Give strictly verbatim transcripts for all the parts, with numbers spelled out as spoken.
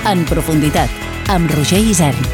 En profunditat, amb Roger Isern.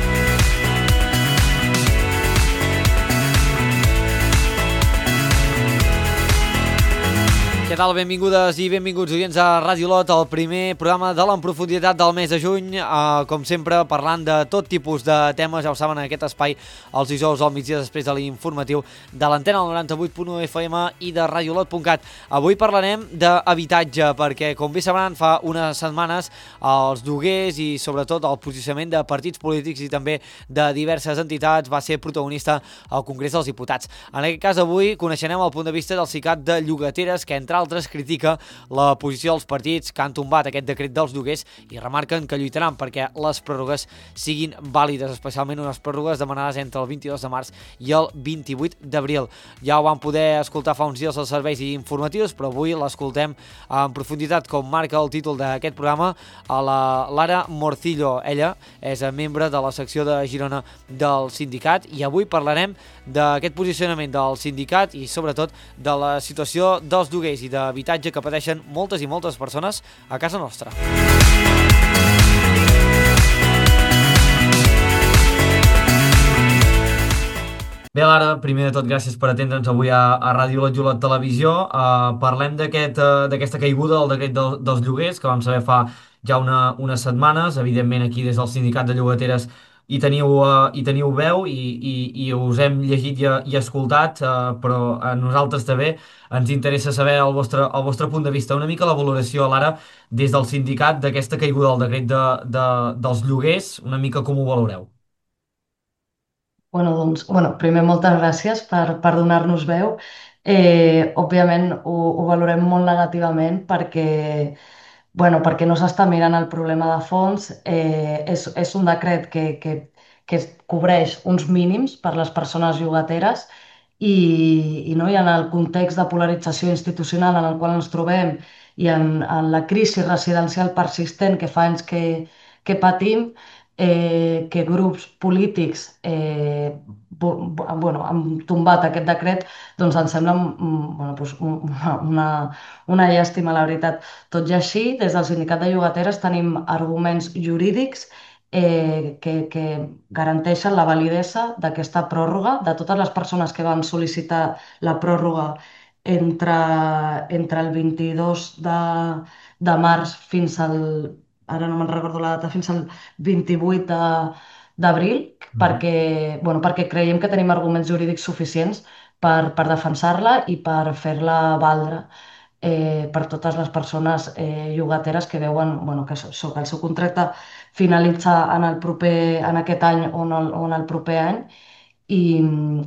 Què tal? Benvingudes i benvinguts oients a Ràdio Lot, el primer programa de l'En Profunditat del mes de juny, uh, com sempre parlant de tot tipus de temes, ja ho saben, en aquest espai els dijous al migdia després de l'informatiu de l'antena del noranta-vuit punt u F M i de radiolot punt cat. Avui parlarem d'habitatge perquè, com bé sabran, fa unes setmanes els lloguers i sobretot el posicionament de partits polítics i també de diverses entitats va ser protagonista al Congrés dels Diputats. En aquest cas, avui coneixerem el punt de vista del SICAT de Llogateres, que entre altres critica la posició dels partits que han tombat aquest decret dels lloguers i remarquen que lluitaran perquè les pròrrogues siguin vàlides, especialment unes pròrrogues demanades entre el vint-i-dos de març i el vint-i-vuit d'abril. Ja ho vam poder escoltar fa uns dies als serveis informatius, però avui l'escoltem en profunditat, com marca el títol d'aquest programa, a la Lara Morcillo. Ella és membre de la secció de Girona del sindicat i avui parlarem d'aquest posicionament del sindicat i sobretot de la situació dels lloguers i d'habitatge que pateixen moltes i moltes persones a casa nostra. Bé, Lara, primer de tot, gràcies per atendre'ns avui a, a Ràdio Lot Jolot Televisió. Uh, parlem d'aquest, uh, d'aquesta caiguda del decret del, dels lloguers, que vam saber fa ja una, unes setmanes. Evidentment, aquí des del Sindicat de Llogateres hi teniu, uh, hi teniu veu i, i, i us hem llegit i, i escoltat, uh, però a nosaltres també ens interessa saber el vostre, el vostre punt de vista. Una mica la valoració, Lara, des del sindicat d'aquesta caiguda del decret de, de, dels lloguers, una mica com ho valoreu? Bueno, doncs, bueno, primer moltes gràcies per, per donar-nos veu. Eh, òbviament ho, ho valorem molt negativament perquè, bueno, perquè no s'està mirant el problema de fons. Eh, és, és un decret que, que, que cobreix uns mínims per les persones llogateres i, i, no? I en el context de polarització institucional en el qual ens trobem i en, en la crisi residencial persistent que fa anys que, que patim, eh, que grups polítics eh, bu- bu- bueno, han tombat aquest decret, doncs ens sembla mm, bueno, doncs un- una, una, una llàstima, la veritat. Tot i així, des del Sindicat de Llogateres tenim arguments jurídics eh, que, que garanteixen la validesa d'aquesta pròrroga, de totes les persones que van sol·licitar la pròrroga entre, entre el vint-i-dos de, de març fins al, ara no me'n recordo la data, fins al vint-i-vuit de, d'abril, Mhm. perquè, bueno, perquè creiem que tenim arguments jurídics suficients per, per defensar-la i per fer-la valdre eh, per totes les persones eh, llogateres que veuen bueno, que, això, que el seu contracte finalitza en, el proper, en aquest any o en el, o en el proper any i,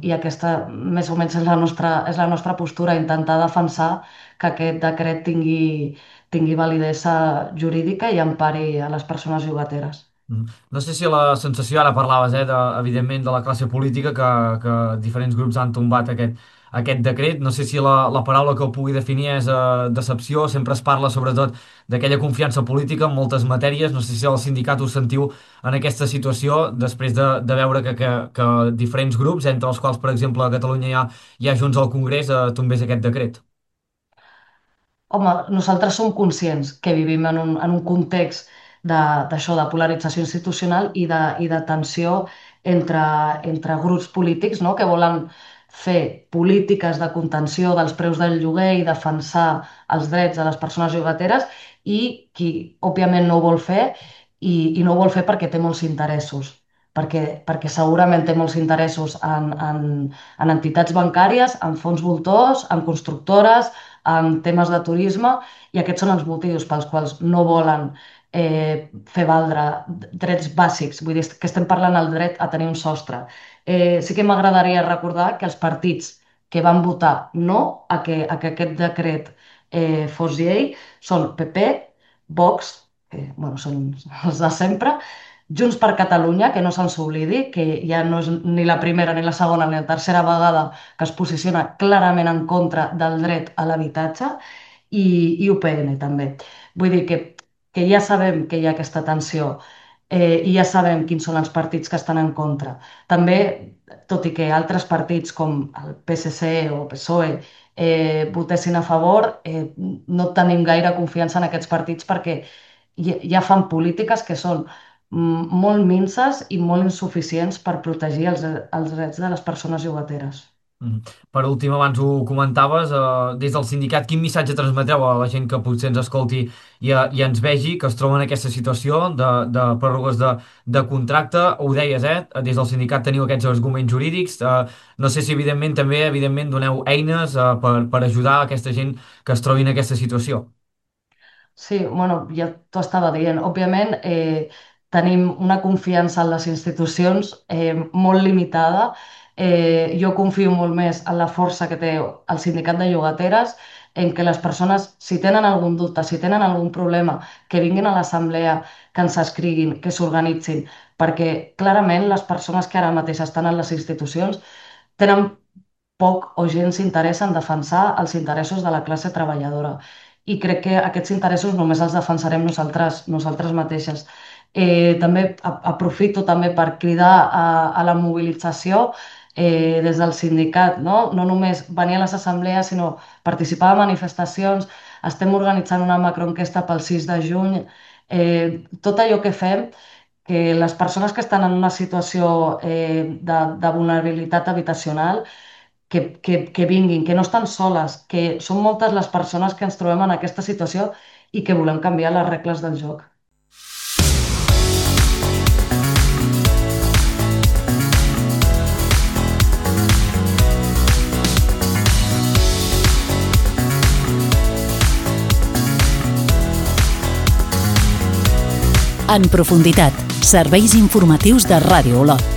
i aquesta més o menys és la nostra, és la nostra postura, intentar defensar que aquest decret tingui, tingui validesa jurídica i empari a les persones llogateres. Mhm. No sé si la sensació, ara parlaves, eh, de, evidentment, de la classe política, que, que diferents grups han tombat aquest, aquest decret. No sé si la, la paraula que ho pugui definir és eh, decepció. Sempre es parla, sobretot, d'aquella confiança política en moltes matèries. No sé si el sindicat us sentiu en aquesta situació després de, de veure que, que, que diferents grups, entre els quals, per exemple, a Catalunya hi ha, hi ha Junts al Congrés, eh, tombés aquest decret. Home, nosaltres som conscients que vivim en un, en un context de- d'això, de, polarització institucional i de, i de tensió entre, entre grups polítics, no? Que volen fer polítiques de contenció dels preus del lloguer i defensar els drets de les persones llogateres i qui, òbviament, no ho vol fer i, i no ho vol fer perquè té molts interessos. Perquè, perquè segurament té molts interessos en, en, en entitats bancàries, en fons voltors, en constructores, en temes de turisme, i aquests són els motius pels quals no volen eh, fer valdre drets bàsics. Vull dir que estem parlant del dret a tenir un sostre. Eh, sí que m'agradaria recordar que els partits que van votar no a que, a que aquest decret eh, fos llei són P P, Vox, que bueno, són els de sempre, Junts per Catalunya, que no se'ns oblidi, que ja no és ni la primera, ni la segona, ni la tercera vegada que es posiciona clarament en contra del dret a l'habitatge, i, i U P N també. Vull dir que, que ja sabem que hi ha aquesta tensió eh, i ja sabem quins són els partits que estan en contra. També, tot i que altres partits com el P S C o PSOE eh, votessin a favor, eh, no tenim gaire confiança en aquests partits perquè ja fan polítiques que són molt minses i molt insuficients per protegir els, els drets de les persones llogateres. Mm. Per últim, abans ho comentaves, eh, des del sindicat, quin missatge transmetreu a la gent que potser ens escolti i, eh, i ens vegi, que es troba en aquesta situació de, de pròrrogues de, de contracte? Ho deies, eh? Des del sindicat teniu aquests arguments jurídics. Eh, no sé si, evidentment, també evidentment doneu eines eh, per, per ajudar a aquesta gent que es trobi en aquesta situació. Sí, bueno, ja t'ho estava dient. Òbviament, eh, tenim una confiança en les institucions eh, molt limitada. Eh, jo confio molt més en la força que té el sindicat de llogateres, en què les persones, si tenen algun dubte, si tenen algun problema, que vinguin a l'assemblea, que ens escriguin, que s'organitzin, perquè clarament les persones que ara mateix estan en les institucions tenen poc o gens interès en defensar els interessos de la classe treballadora. I crec que aquests interessos només els defensarem nosaltres, nosaltres mateixes. Eh, també a- aprofito també per cridar a, a la mobilització eh, des del sindicat, no? No només venir a les assemblees, sinó participar de manifestacions. Estem organitzant una macroenquesta pel sis de juny. Eh, tot allò que fem, que les persones que estan en una situació eh, de, de vulnerabilitat habitacional que, que, que vinguin, que no estan soles, que són moltes les persones que ens trobem en aquesta situació i que volem canviar les regles del joc. En profunditat, serveis informatius de Ràdio Olot.